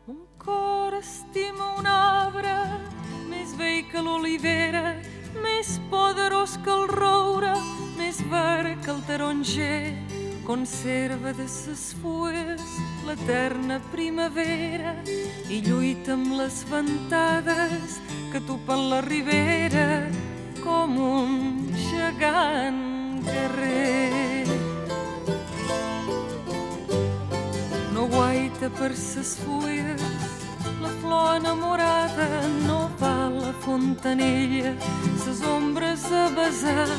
Un cor estima un arbre més vell que l'olivera, més poderós que el roure, més verd que el taronger. Conserva de ses fulles l'eterna primavera i lluita amb les ventades que tupen la ribera com un gegant guerrer. No guaita per ses fulles la flor enamorada, no va a la fontanella ses ombres a besar,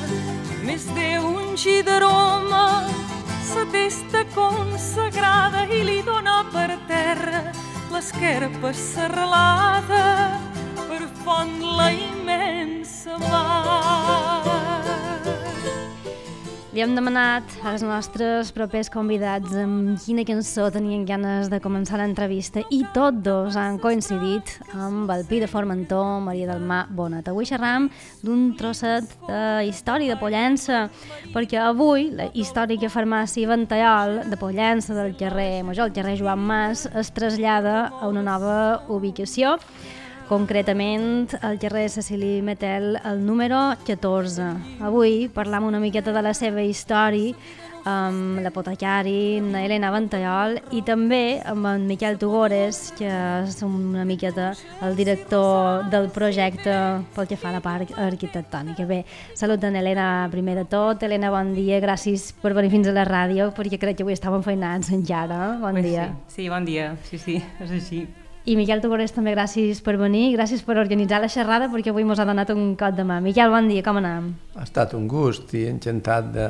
més d'un gi d'aroma sa testa consagrada i li dona per terra l'esquerpa serralada per font la immensa mar. Li hem demanat als nostres propers convidats amb quina cançó tenien ganes de començar l'entrevista i tots dos han coincidit amb el Pi de Formentó, Maria del Mar Bonet. Avui xerram d'un trosset de història de Pollença, perquè avui la històrica farmàcia Ventallol de Pollença del carrer Major, el carrer Joan Mas, es trasllada a una nova ubicació, concretament al carrer Cecili Metel, el número 14. Avui parlam una miqueta de la seva història amb l'apotecari Elena Ventallol i també amb en Miquel Tugores, que és una miqueta el director del projecte pel que fa a la part arquitectònica. Bé, salut en Elena primer de tot. Elena, bon dia, gràcies per venir fins a la ràdio, perquè crec que avui estàvem feinats encara. Bon dia. Sí, bon dia, sí, és així. I Miquel Tugores també gràcies per venir, gràcies per organitzar la xerrada, perquè avui mos ha donat un cop de mà. Miquel, bon dia, com anem? Ha estat un gust i encantat de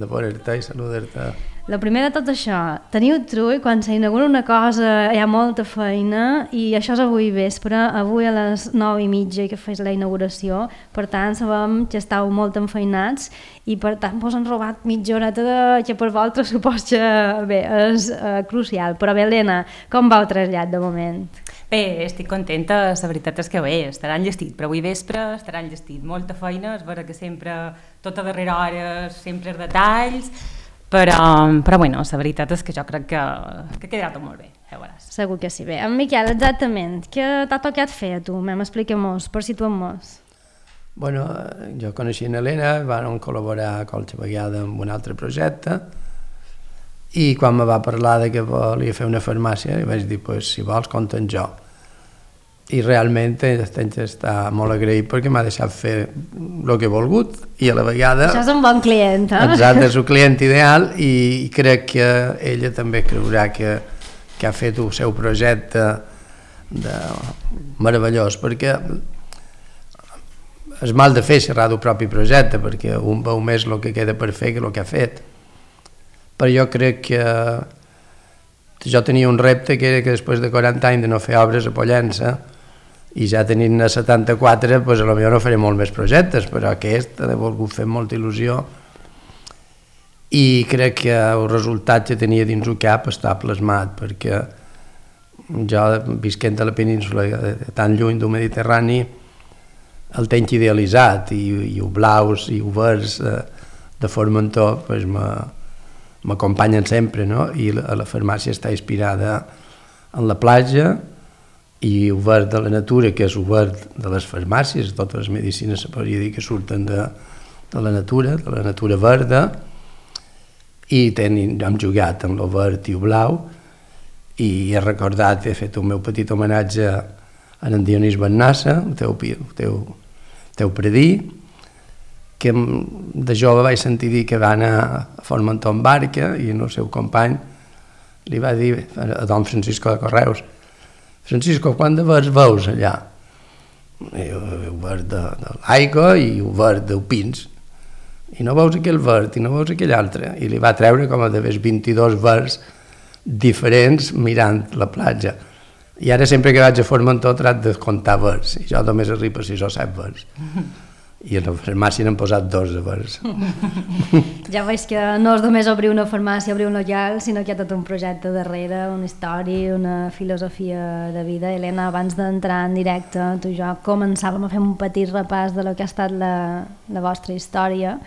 veure-te i saludar-te. El primer de tot això, teniu trull, quan s'inaugura una cosa hi ha molta feina i això és avui vespre, avui a les 9:30 que fes la inauguració, per tant sabem que estàu molt enfeinats i per tant vos han robat mitja horeta que per vosaltres supos que bé, és crucial. Però bé, Helena, com va el trasllat de moment? Bé, estic contenta, la veritat és que bé, estarà enllestit, però avui vespre estarà enllestit. Molta feina, és vera que sempre, tota darrera hora, sempre els detalls, però bueno, la veritat és que jo crec que ha quedat molt bé, ja veuràs. Segur que sí. Bé, en Miquel, exactament, què t'ha tocat fer a tu? Expliquem-nos, per situem-nos. Bueno, jo coneixia en Helena, vam col·laborar qualsevol vegada amb un altre projecte i quan me va parlar de que volia fer una farmàcia, li vaig dir, pues, si vols, compta amb jo. I realment estic molt agraït perquè m'ha deixat fer el que he volgut i a la vegada... Això és un bon client, eh? Exacte, és un client ideal i crec que ella també creurà que ha fet el seu projecte meravellós, perquè és mal de fer xerrar del propi projecte, perquè un veu més el que queda per fer que el que ha fet. Però jo crec que jo tenia un repte que era que després de 40 anys de no fer obres a Pollença i ja tenint 74, doncs potser no faré molt més projectes, però aquest he volgut fer molta il·lusió i crec que el resultat que tenia dins el cap està plasmat, perquè jo, visquent a la península tan lluny del Mediterrani, el tenc idealitzat i els blaus i els verds de Formentor m'acompanyen sempre, no? I la farmàcia està inspirada en la platja i el verd de la natura, que és el verd de les farmàcies, totes les medicines se podria dir que surten de la natura verda, i hem jugat amb el verd i el blau, i he recordat, he fet un meu petit homenatge a en Dionís Bennassa, el teu predí, que de jove vaig sentir dir que va anar a Formentor en barca i el seu company li va dir a don Francisco de Correus: Francisco, quant de verds veus allà? El verd de l'aigua i el verd dels pins. I no veus aquell verd i no veus aquell altre. I li va treure com a de 22 verds diferents mirant la platja. I ara sempre que vaig a Formentor trac de comptar verds. I jo només arribo a 6 o 7 verds. i a la farmàcia n'han posat 2 llavors. Ja veig que no és només obrir una farmàcia, obrir un local, sinó que hi ha tot un projecte darrere, una història, una filosofia de vida. Helena, abans d'entrar en directe, tu i jo començàvem a fer un petit repàs de lo que ha estat la vostra història,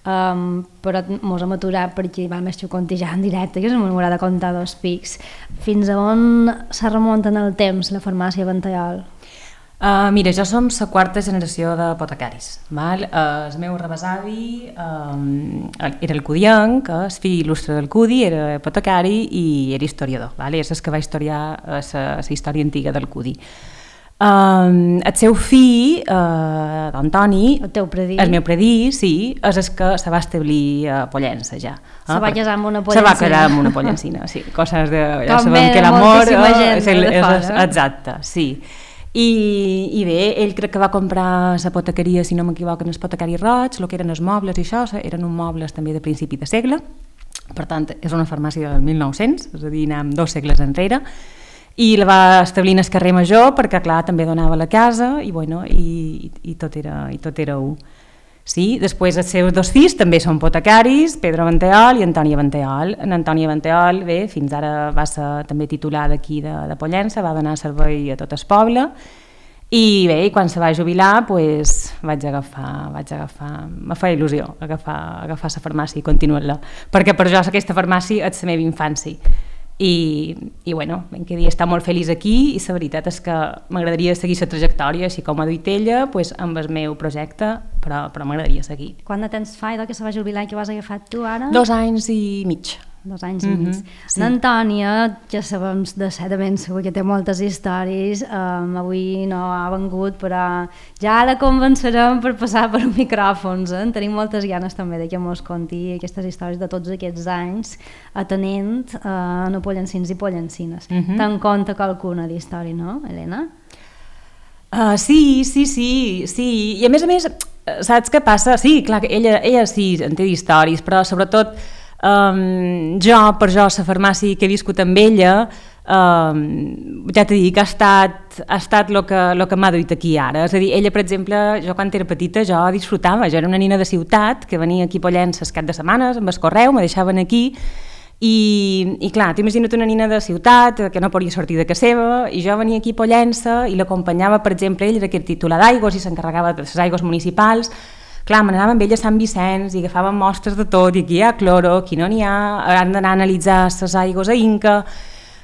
però mos hem aturat perquè vam contijar en directe, que m'haurà de contar 2 pics. Fins a on se remunta en el temps la farmàcia Ventallol? Mira, jo som la 4ª generació d'apotecaris. El meu rebesavi era el cudienc, el fill il·lustre del cudi, era apotecari i era historiador. És el que va historiar la història antiga del cudi. El seu fill, d'Antoni, el meu predí, sí, és el que se va establir a Pollença ja. Se va casar amb una pollencina. Se va casar amb una pollencina, sí. Coses de... Ja sabem que l'amor... Exacte, sí. I bé, ell crec que va comprar l'apotecaria, si no m'equivoco, en l'apotecari Roig, el que eren els mobles i això, eren uns mobles també de principi de segle, per tant és una farmàcia del 1900, és a dir, anem 2 segles enrere, i la va establir en el carrer Major perquè clar, també donava la casa i, bueno, i tot era un. Sí, després els seus 2 fills també són apotecaris, Pedro Ventallol i Antònia Ventallol. En Antònia Ventallol, bé, fins ara va ser també titular d'aquí de Pollença, va donar servei a tot el poble i bé, quan se va jubilar pues, vaig agafar, me feia il·lusió agafar la farmàcia i continuar-la, perquè per jo aquesta farmàcia és la meva infància. I bueno, ben que dir, està molt feliç aquí i la veritat és que m'agradaria seguir la trajectòria, així com ha dit ella, pues, amb el meu projecte, però m'agradaria seguir. Quant de temps fa que se va jubilar i que ho has agafat tu ara? 2 anys i mig. 2 anys i mig. Sí. L'Antònia, ja sabem de ben segur que té moltes històries, avui no ha vengut, però ja la convencerem per passar per micròfons. Tenim moltes ganes també de que mos conti aquestes històries de tots aquests anys atenent a pollencins i pollencines. Te'n conta qualcuna d'història, no, Helena? Sí, i a més, saps què passa? Sí, clar, ella sí en té d'històries, però sobretot per jo, la farmàcia que he viscut amb ella, ja t'he dit que ha estat el que m'ha duit aquí ara. És a dir, ella, per exemple, jo quan era petita jo disfrutava, jo era una nina de ciutat que venia aquí a Pollença el cap de setmanes amb el correu, me deixaven aquí i clar, t'imagina't una nina de ciutat que no podia sortir de casa seva i jo venia aquí a Pollença i l'acompanyava, per exemple, ell era aquest titular d'aigües i s'encarregava de les aigües municipals. Clar, me n'anava amb ell a Sant Vicenç i agafàvem mostres de tot, i aquí hi ha cloro, aquí no n'hi ha, han d'anar a analitzar les aigües a Inca.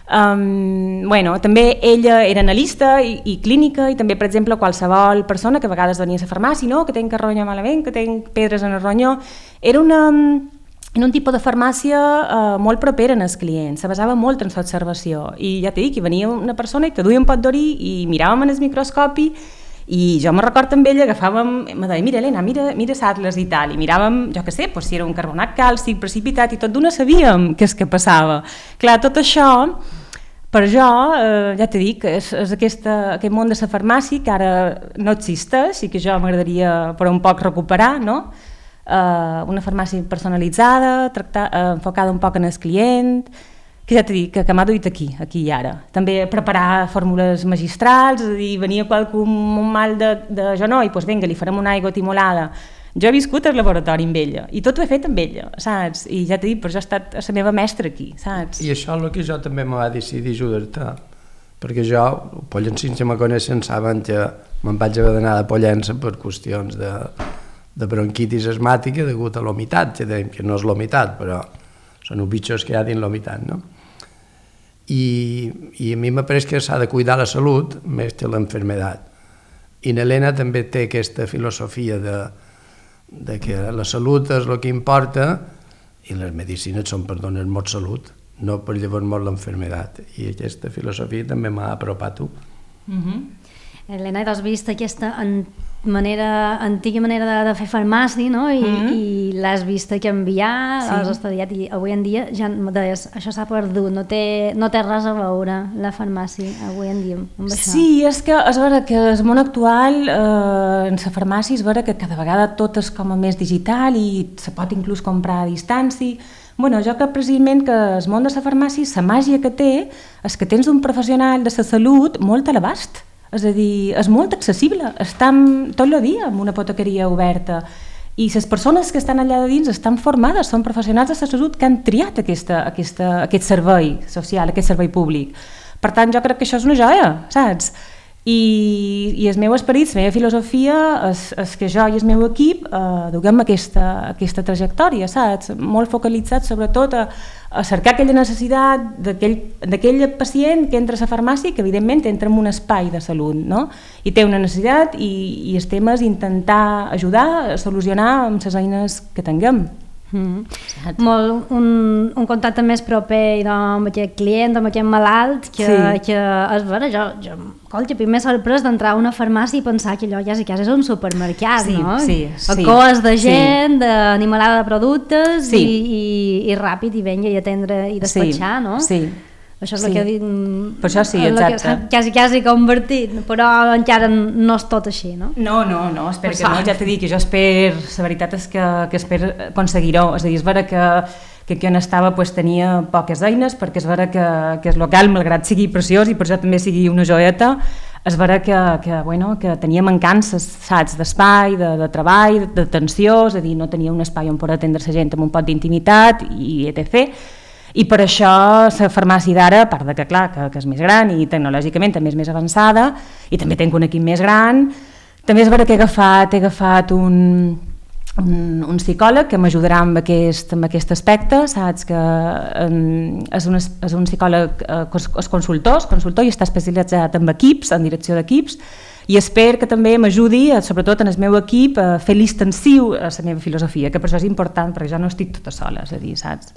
També ella era analista i clínica, i també, per exemple, qualsevol persona que a vegades venia a la farmàcia, no? Que tenc carronya malament, que tenc pedres en el ronyó. Era un tipus de farmàcia molt propera en els clients, se basava molt en l'observació, i ja t'he dit que venia una persona i te duia un pot d'orí i miràvem en el microscopi. I jo me recordo amb ella, me deia, mira Helena, mira l'Atlas i tal, i miràvem, jo què sé, si era un carbonat càlcic precipitat i tot d'una sabíem què és que passava. Clar, tot això, per jo, ja t'he dit, és aquest món de la farmàcia que ara no existeix i que jo m'agradaria per un poc recuperar, no? Una farmàcia personalitzada, enfocada un poc en el client, que ja t'he dit, que m'ha duit aquí i ara. També preparar fórmules magistrals, és a dir, venia qualcú amb un mal de genoll, doncs vinga, li farem una aigua timolada. Jo he viscut al laboratori amb ella, i tot ho he fet amb ella, saps? I ja t'he dit, però jo he estat la meva mestra aquí, saps? I això és el que jo també me va decidir ajudar-te, perquè jo, pollencins que me coneixen, saben que me'n vaig haver d'anar de Pollença per qüestions de bronquitis asmàtica degut a l'humitat, que no és l'humitat, però són els bitxos que hi ha dins l'humitat, no? I a mi m'ha pareix que s'ha de cuidar la salut més que l'enfermedat. I l'Helena també té aquesta filosofia de que la salut és el que importa i les medicines són per donar molt salut, no per llavors molt l'enfermedat. I aquesta filosofia també m'ha apropat a tu. Helena, has vist aquesta antiga manera de fer farmàcia, no? I l'has vist canviar, l'has estudiat, i avui en dia ja deies, això s'ha perdut, no té res a veure la farmàcia avui en dia amb això. Sí, és que és vera que el món actual en la farmàcia és vera que cada vegada tot és com a més digital i se pot inclús comprar a distància. Bueno, jo crec precisament que el món de la farmàcia, la màgia que té és que tens un professional de la salut molt a l'abast. És a dir, és molt accessible, estem tot el dia amb una apotequeria oberta i les persones que estan allà de dins estan formades, són professionals de la salut que han triat aquest servei social, aquest servei públic. Per tant, jo crec que això és una joia, saps? I el meu esperit, la meva filosofia és que jo i el meu equip duguem aquesta trajectòria, saps? Molt focalitzat sobretot a cercar aquella necessitat d'aquell pacient que entra a la farmàcia, que evidentment entra en un espai de salut, no? I té una necessitat i el tema és intentar ajudar a solucionar amb les eines que tinguem. Molt un contacte més proper amb aquest client, amb aquest malalt, que és vera, jo m'he sorprès d'entrar a una farmàcia i pensar que allò ja és un supermercat, no? A coes de gent, d'animalada de productes i ràpid i venga i atendre i despatxar, no? Sí. Això és el que he dit, per això sí, exacte. quasi convertit, però encara no és tot així, no? No, espero que no, ja t'he dit que jo espero, la veritat és que espero aconseguir-ho, és a dir, és vera que on estava tenia poques eines, perquè és vera que el local, malgrat sigui preciós i per això també sigui una joieta, és vera que tenia mancances, saps, d'espai, de treball, d'atenció, és a dir, no tenia un espai on poder atendre la gent amb un poc d'intimitat i etc. I per això la farmàcia d'ara, a part de que clar, que és més gran i tecnològicament també és més avançada i també tenc un equip més gran, també és vera que he agafat un psicòleg que m'ajudarà amb aquest aspecte, saps, que és un psicòleg és consultor i està especialitzat en equips, en direcció d'equips, i espero que també m'ajudi, sobretot en el meu equip, a fer l'extensiu a la meva filosofia, que per això és important, perquè jo no estic tota sola, és a dir, saps?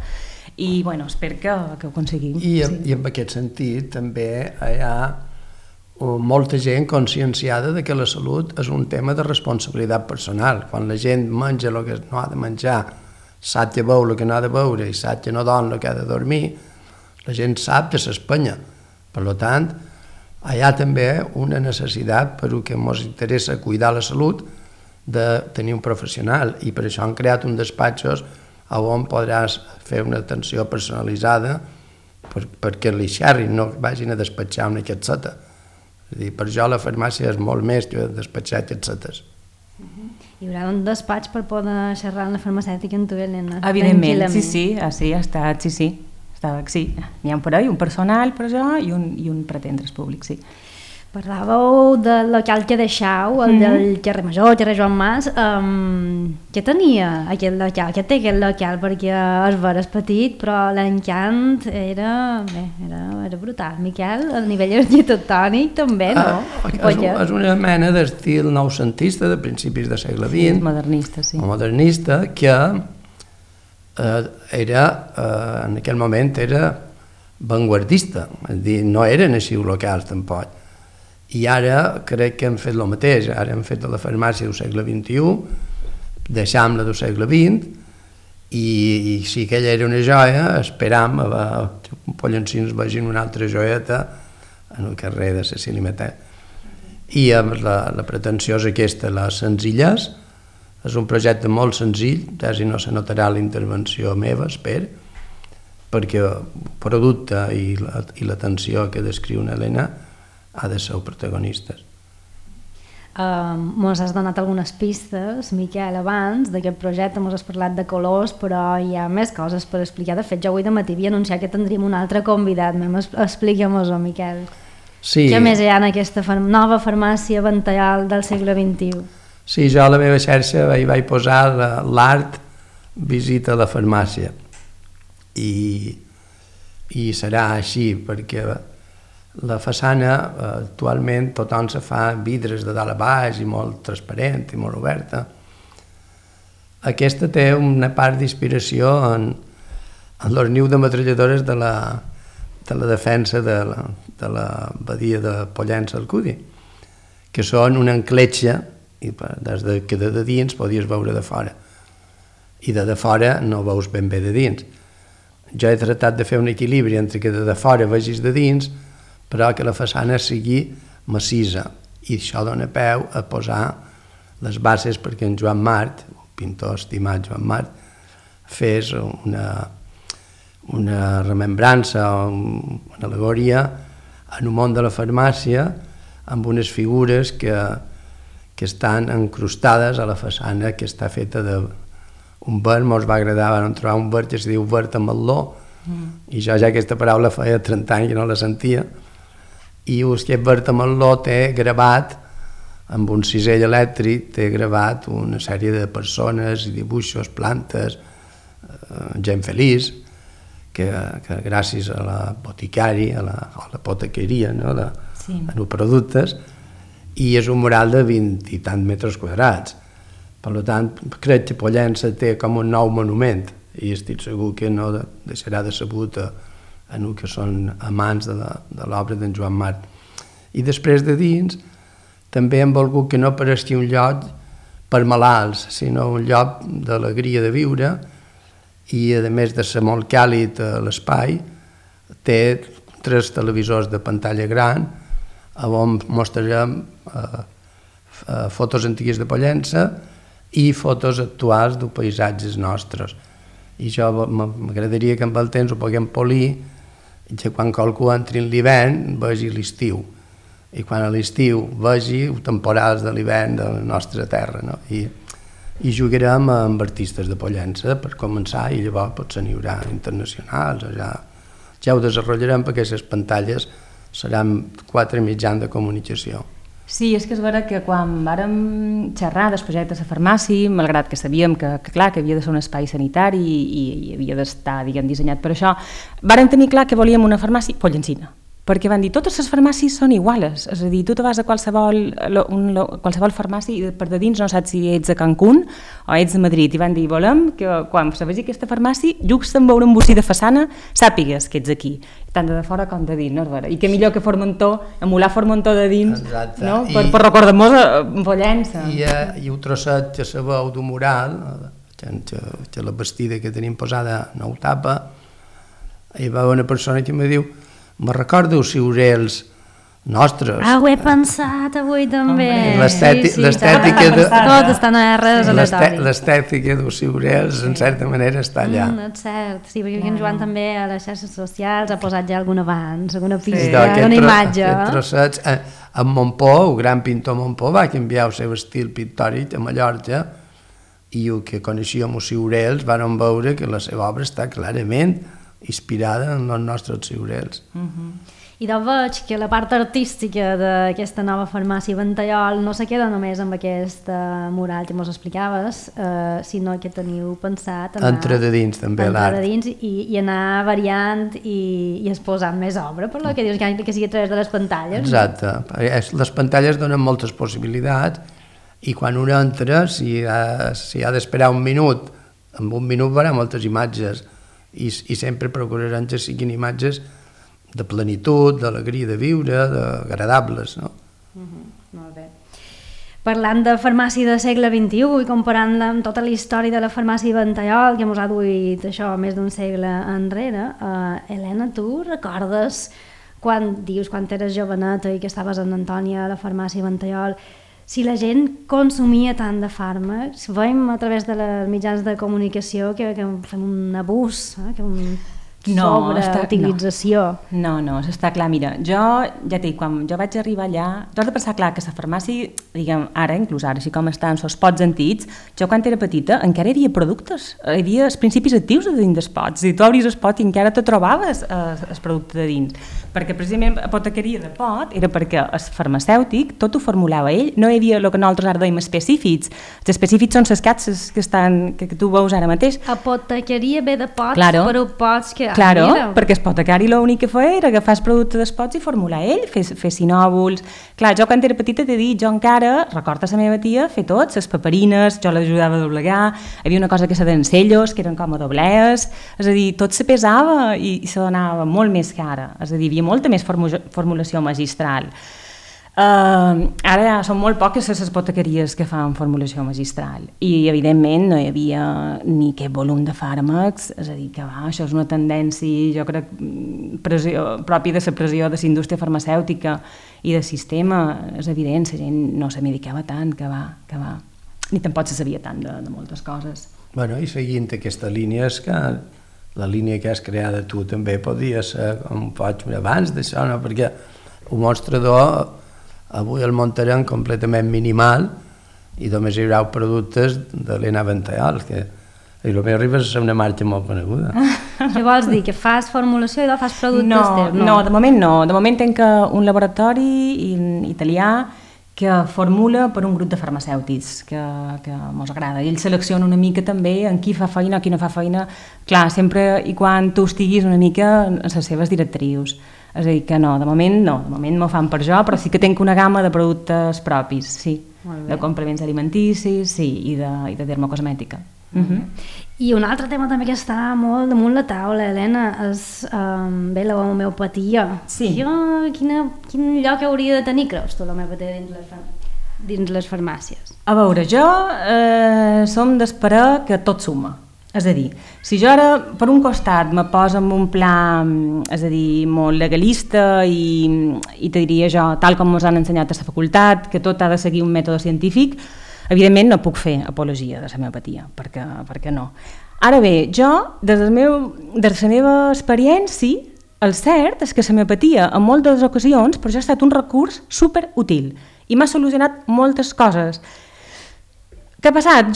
I bueno, espero que ho aconseguim. I en aquest sentit també hi ha molta gent conscienciada de que la salut és un tema de responsabilitat personal. Quan la gent menja el que no ha de menjar, sap que veu el que no ha de veure i sap que no dorm el que ha de dormir, la gent sap que s'espanya. Per tant, hi ha també una necessitat, per que ens interessa cuidar la salut, de tenir un professional, i per això han creat un despatxos on podràs fer una atenció personalitzada perquè li xerrin, no vagin a despatxar una catzeta. És a dir, per jo la farmàcia és molt més que despatxar catzetes. Hi haurà un despatx per poder xerrar amb la farmacèutica en tu, Helena? Evidentment, sí, ha estat, sí. N'hi ha per ahí un personal per això i un per atendre's públic, sí. Parlàveu del local que deixau, el del carrer Major, carrer Joan Mas. Què tenia aquest local? Què té aquest local? Perquè és vera, és petit, però l'encant era brutal. Miquel, a nivell arquitectònic també, no? És una mena d'estil noucentista de principis del segle XX. Modernista, sí. Modernista, que en aquell moment era vanguardista, és a dir, no eren així locals tampoc. I ara crec que hem fet el mateix, ara hem fet la farmàcia del segle XXI, deixam la del segle XX, i si aquella era una joia, esperam que Pollencins vegin una altra joieta en el carrer de Cecili Matet. I la pretensió és aquesta, la senzillesa. És un projecte molt senzill, quasi no se notarà la intervenció meva, espero, perquè el producte i l'atenció que descriu Helena ha de ser protagonistes. Mos has donat algunes pistes, Miquel, abans d'aquest projecte, mos has parlat de colors, però hi ha més coses per explicar. De fet, jo avui de matí havia anunciat que tindríem un altre convidat. Expliquem-ho, Miquel. Sí. Què més hi ha en aquesta nova farmàcia Ventallal del segle XXI? Sí, jo a la meva xarxa hi vaig posar l'art visita a la farmàcia. I serà així, perquè la façana actualment tothom se fa vidres de dalt a baix i molt transparent i molt oberta. Aquesta té una part d'inspiració en els nius de metralladores de la defensa de la badia de Pollença-Alcúdia, que són una encletxa i des que de dins podies veure de fora i de fora no veus ben bé de dins. Jo he tratat de fer un equilibri entre que de fora vegis de dins, però que la façana sigui massissa, i això dona peu a posar les bases perquè en Joan Mart, el pintor estimat Joan Mart, fes una remembrança, una al·legoria en un món de la farmàcia amb unes figures que estan encrustades a la façana, que està feta d'un verd. Mos va agradar, vam trobar un verd que es diu verd ametlló, i jo ja aquesta paraula feia 30 anys que no la sentia, i aquest verd ametlló té gravat, amb un cisell elèctric, té gravat una sèrie de persones i dibuixos, plantes, gent feliç, que gràcies a la boticari, a la potaqueria, no? Els productes, i és un mural de 20 i tant metres quadrats. Per tant, crec que Pollença té com un nou monument, i estic segur que no deixarà decebut a els que són amants de l'obra d'en Joan Marc. I després de dins, també hem volgut que no pareixi un lloc per malalts, sinó un lloc d'alegria de viure, i a més de ser molt càlid a l'espai, té 3 televisors de pantalla gran on mostrarem fotos antigues de Pollença i fotos actuals de paisatges nostres. I això m'agradaria que amb el temps ho puguem polir, que quan qualcú entri en l'hivern vegi l'estiu, i quan a l'estiu vegi temporals de l'hivern de la nostra terra, no? I jugarem amb artistes de Pollença per començar, i llavors potser n'hi haurà internacionals, o ja ho desenvoluparem, perquè aquestes pantalles seran 4 mitjans de comunicació. Sí, és que és vera que quan vàrem xerrar del projecte de la farmàcia, malgrat que sabíem que clar, que havia de ser un espai sanitari i havia d'estar, diguem, dissenyat per això, vàrem tenir clar que volíem una farmàcia pollencina, perquè van dir, totes les farmàcies són iguales, és a dir, tu te vas a qualsevol farmàcia i per de dins no saps si ets a Cancún o ets a Madrid, i van dir, volem que quan se vegi aquesta farmàcia, just en veure un bocí de façana, sàpigues que ets aquí, tant de fora com de dins, no és vera? I que millor que Formentor, emular Formentor de dins, no? Per recordar-nos a Pollença. I un trosset que se veu d'un mural, que la vestida que tenim posada no ho tapa, hi va una persona que em diu, me recordo els ciurels nostres. Ho he pensat avui també. L'estètica tot està en res aleatori. L'estètica dels ciurels, en certa manera, està allà. És cert, sí, perquè en Joan també a les xarxes socials ha posat ja algun avanç, alguna pista, alguna imatge. Aquests trossets, en Montpó, el gran pintor Montpó, va canviar el seu estil pictòric a Mallorca, i el que coneixíem els ciurels van veure que la seva obra està clarament inspirada en els nostres ciurels. I doncs veig que la part artística d'aquesta nova farmàcia Ventallol no se queda només amb aquest mural que ens explicaves, sinó que teniu pensat entrar de dins també l'art i anar variant i exposant més obra, per lo que dius que sigui a través de les pantalles. Exacte, les pantalles donen moltes possibilitats, i quan un entra, si ha d'esperar un minut, en un minut veurà moltes imatges, i sempre procurarem que siguin imatges de plenitud, d'alegria de viure, agradables, no? Molt bé. Parlant de farmàcia del segle XXI i comparant amb tota la història de la farmàcia Ventallol, que ens ha duit això més d'un segle enrere, Helena, tu recordes quan eres joveneta i que estaves en Antònia a la farmàcia Ventallol, si la gent consumia tant de fàrmacs, veiem a través de les mitjans de comunicació que fem un abús, que sobreutilització. No, està clar. Mira, jo ja t'he dit, quan jo vaig arribar allà, tu has de pensar, clar, que la farmàcia, diguem, ara, inclús ara, així com estan els pots antics, jo quan era petita encara hi havia productes, hi havia els principis actius de dins dels pots, i tu obris el pot i encara te trobaves el producte de dins, perquè precisament apotequeria de pot era perquè el farmacèutic tot ho formulava ell, no hi havia el que nosaltres ara dèiem específics, els específics són les capses que tu veus ara mateix. Apotequeria ve de pots, claro. Però pots que... Claro, perquè l'apotecari l'únic que feia era agafar el producte dels pots i formular ell, fer sinòvuls. Clar, jo quan era petita t'he dit, jo encara, recordo la meva tia, fer tots, les paperines, jo l'ajudava a doblegar, hi havia una cosa que se deien cellos, que eren com a doblees, és a dir, tot se pesava i se donava molt més que ara, és a dir, hi havia molta més formulació magistral. Ara ja són molt poques les apotequeries que fan formulació magistral i evidentment no hi havia ni aquest volum de fàrmacs, és a dir que això és una tendència, jo crec, pròpia de la pressió de la indústria farmacèutica i del sistema, és evident, la gent no se medicava tant, que va, ni tampoc se sabia tant de moltes coses. Bueno, i seguint aquesta línia, és que la línia que has creada tu també podia ser com pots abans d'això, no? Perquè un mostrador avui el muntarem completament minimal i només hi haurà productes de l'Ena Ventallal, que el meu arriba a ser una marca molt coneguda. Què vols dir? Que fas formulació i fas productes teus? No, de moment no. De moment tenc un laboratori italià que formula per un grup de farmacèutics que mos agrada. I ell selecciona una mica també en qui fa feina o qui no fa feina, clar, sempre i quan tu estiguis una mica en les seves directrius. És a dir, que no, de moment m'ho fan per jo, però sí que tinc una gamma de productes propis, sí, de complements alimenticis, sí, i de dermocosmètica. I un altre tema també que està molt damunt la taula, Helena, és la homeopatia. Sí. Quin lloc hauria de tenir, creus tu, l'homeopatia dins les farmàcies? A veure, jo som d'esperar que tot suma. És a dir, si jo ara per un costat me poso en un pla, és a dir, molt legalista i te diria jo, tal com ens han ensenyat a la facultat, que tot ha de seguir un mètode científic, evidentment no puc fer apologia de l'homeopatia, perquè no. Ara bé, jo, des de la meva experiència, el cert és que l'homeopatia en moltes ocasions per jo ha estat un recurs superútil i m'ha solucionat moltes coses. Què ha passat?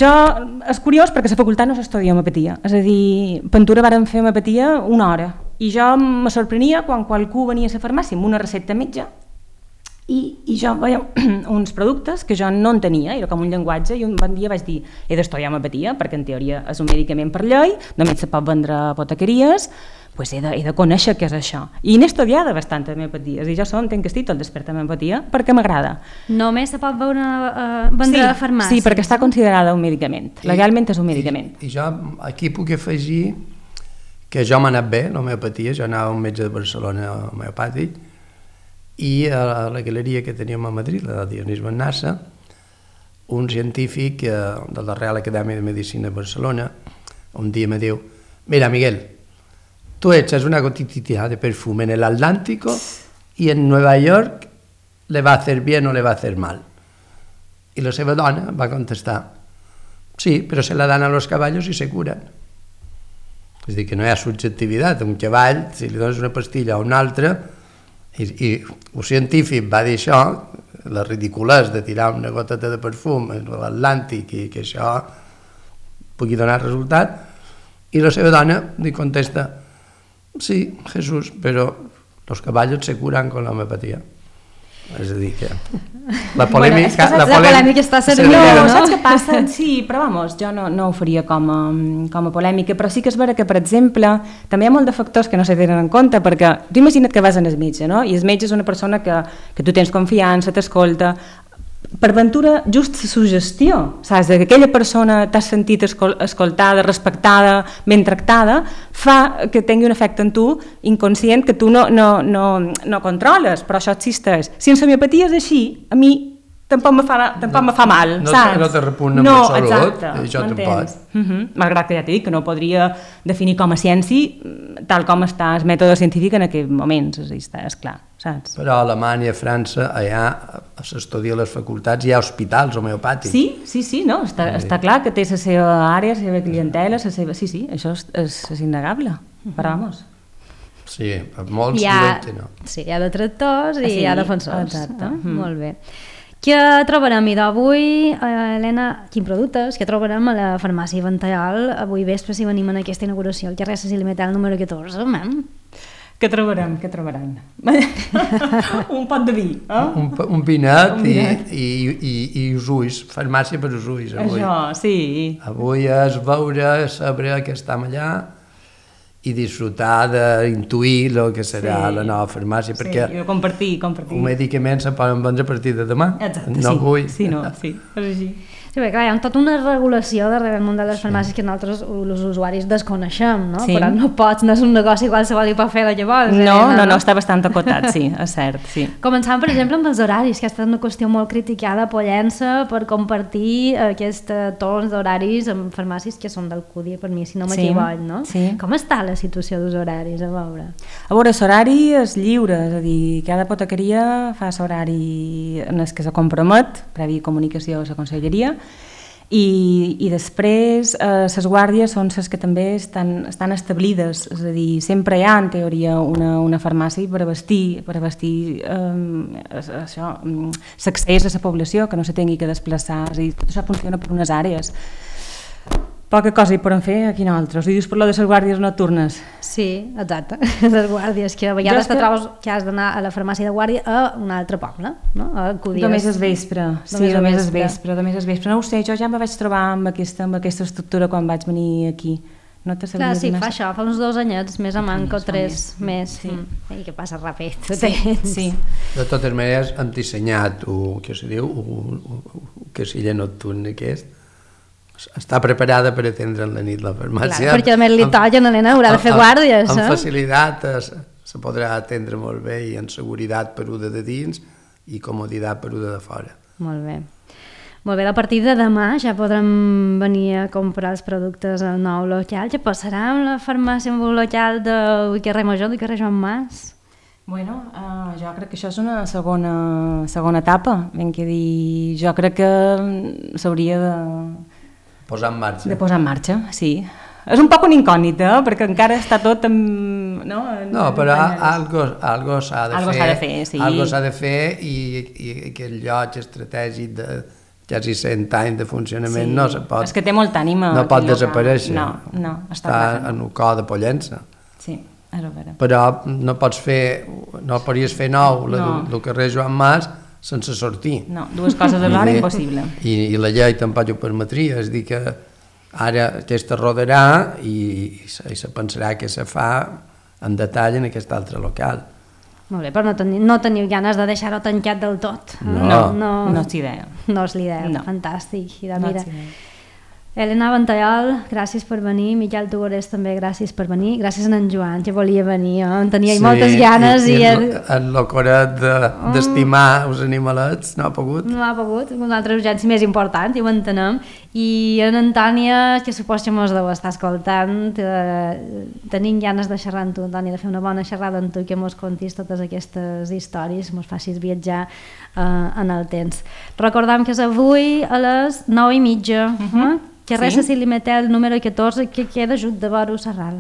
És curiós perquè a la facultat no s'estudia homeopatia, és a dir, Pentura vàrem fer homeopatia una hora i jo me sorprenia quan qualcú venia a la farmàcia amb una recepta metge i jo veia uns productes que jo no en tenia, era com un llenguatge, i un bon dia vaig dir he d'estudiar homeopatia perquè en teoria és un medicament per llei, només se pot vendre a apotequeries, pues he de conèixer què és això. I n'he estudiat bastant homeopatia, és a dir, jo entenc que estic tot despert amb homeopatia perquè m'agrada. Només se pot vendre a farmàcia? Sí, perquè està considerada un medicament, legalment és un medicament. I jo aquí puc afegir que jo m'ha anat bé l'homeopatia, jo anava a un metge de Barcelona homeopàtic i a la galeria que teníem a Madrid, la de Dionís Bennassa, un científic de la Real Acadèmia de Medicina de Barcelona un dia me diu, mira Miguel, tú echas una gotita de perfume en el Atlántico y en Nueva York le va a hacer bien o le va a hacer mal. Y la seva dona va contestar, sí, pero se la dan a los caballos y se curan. És a dir, que no hi ha subjectivitat. Un cavall, si li dones una pastilla a un altre, i un científic va dir això, la ridiculès de tirar una goteta de perfum a l'Atlàntic i que això pugui donar resultat, i la seva dona li contesta, sí, Jesús, pero los caballos se curan con la homeopatía. És a dir, que la polèmica... Bueno, la polèmica està servida, no? Saps què passa? Sí, però vamos, jo no ho faria com a polèmica, però sí que és vera que, per exemple, també hi ha molt de factors que no se tenen en compte, perquè tu imagina't que vas al metge, no? I el metge és una persona que tu tens confiança, t'escolta. Per ventura, just la suggestió, saps? Que aquella persona t'has sentit escoltada, respectada, ben tractada, fa que tingui un efecte en tu inconscient que tu no controles, però això existeix. Si en l'homeopatia és així, a mi tampoc me fa mal, saps? No te repugna en absolut, exacte, això tampoc. Malgrat que ja t'he dit que no podria definir com a ciència tal com està el mètode científic en aquells moments, és clar, saps? Però a Alemanya, a França, allà s'estudia a les facultats, hi ha hospitals homeopàtics. Sí, no, està clar que té la seva àrea, la seva clientela, sí, això és innegable, però vamos. Sí, molts diuen que no. Sí, hi ha detractors i hi ha defensors. Exacte. Molt bé. Què trobarem avui, Helena, quins productes que trobarem a la farmàcia Ventallal avui vespre si venim en aquesta inauguració al carrer Cecília Metal número 14, Què trobaran? Un pot de vi, eh? Un vinet i els ulls, farmàcia per els ulls. Això, sí. Avui és veure, saber que estem allà i disfrutar d'intuir el que serà la nova farmàcia, perquè i compartir. un medicament se poden vendre a partir de demà. Exacte, no avui. Sí, és així. Sí, perquè clar, hi ha tota una regulació darrere el món de les farmàcies que nosaltres, els usuaris, desconeixem, no? Sí. Però no pots, no és un negoci qualsevol i pot fer el que vols. No, està bastant acotat, sí, és cert, sí. Començant, per exemple, amb els horaris, que ha estat una qüestió molt criticada a Pollença per compartir aquests torns d'horaris amb farmàcies que són del CUDI, per mi, si no m'equivoc, no? Sí. Com està la situació dels horaris, a veure? L'horari és lliure, és a dir, cada apotequeria fa l'horari en el que se compromet, previ comunicació a la conselleria, I després les guàrdies són les que també estan establides, és a dir, sempre hi ha en teoria una farmàcia per abastir l'accés a la població, que no se tingui que desplaçar, és a dir, tot això funciona per unes àrees. Poca cosa hi podem fer aquí nosaltres. I dius per lo de les guàrdies nocturnes. Sí, exacte. Les guàrdies, que a vegades te trobes que has d'anar a la farmàcia de guàrdia a un altre poble, no? Només és vespre. Sí, només és vespre. No ho sé, jo ja me vaig trobar amb aquesta estructura quan vaig venir aquí. No te sabia clar, sí, donar... fa això, fa uns 2 anyets, més a manco, 3 més. Sí. I que passa ràpid. Sí. De totes maneres, hem dissenyat el que se diu, el casilla nocturn aquest, està preparada per atendre en la nit la farmàcia. Clar, perquè a més li tolla, Helena, haurà de fer guàrdies. Amb facilitat se podrà atendre molt bé i amb seguretat peruda de dins i comoditat peruda de fora. Molt bé. Molt bé, a partir de demà ja podrem venir a comprar els productes al nou local. Ja passarà amb la farmàcia amb un local del carrer Major, del carrer Joan Mas? Bueno, jo crec que això és una segona etapa. Ben que dir, jo crec que s'hauria de posar en marxa. De posar en marxa, sí. És un poc una incògnita, perquè encara està tot en... No, però algo s'ha de fer. Sí. Algo s'ha de fer i aquest lloc estratègic de quasi 100 anys de funcionament no se pot... És que té molta ànima. No pot desaparèixer. No, està en un cor de Pollença. Sí, és vera. Però no podries fer nou el carrer Joan Mas sense sortir. No, 2 coses alhora impossible. I la llei tampoc ho permetria, és dir que ara aquesta rodarà i se pensarà que se fa en detall en aquest altre local. Molt bé, però no teniu ganes de deixar-ho tancat del tot? No és idea. No és l'idea, no. Fantàstic. Mira. Helena Ventallol, gràcies per venir. Miquel Tugorés també, gràcies per venir. Gràcies a en Joan, que volia venir. En tenia moltes ganes. I en l'ocoret d'estimar els animalets no ha pogut. No ha pogut, una altra urgència més important, ja ho entenem. I en Antònia, que supos que mos deu estar escoltant, tenim ganes de xerrar amb tu, Antònia, de fer una bona xerrada amb tu, que mos contis totes aquestes històries, mos facis viatjar en el temps. Recordam que és avui a les 9:30, que res a Cilimetel número 14, que queda just de vora Serral.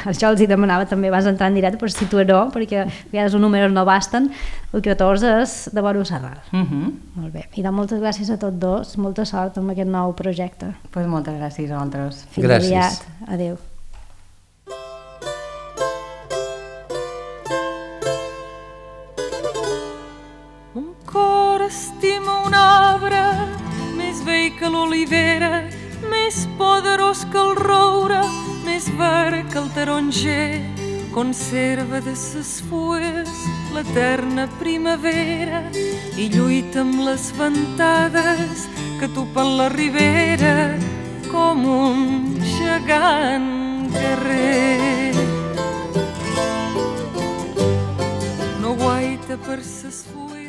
Això els hi demanava també abans d'entrar en directe, per situar-ho, perquè a vegades els números no basten. El 14 és de vora Serral. Molt bé. I moltes gràcies a tots dos, molta sort amb aquest nou projecte. Pues moltes gràcies a vosaltres. Fins aviat. Adéu. Un cor estima un arbre més vell que l'olivera, més poderós que el roure, més verd que el taronger, conserva de ses fulles l'eterna primavera i lluita amb les ventades que tupen la ribera com un gegant guerrer. No guaita per ses fulles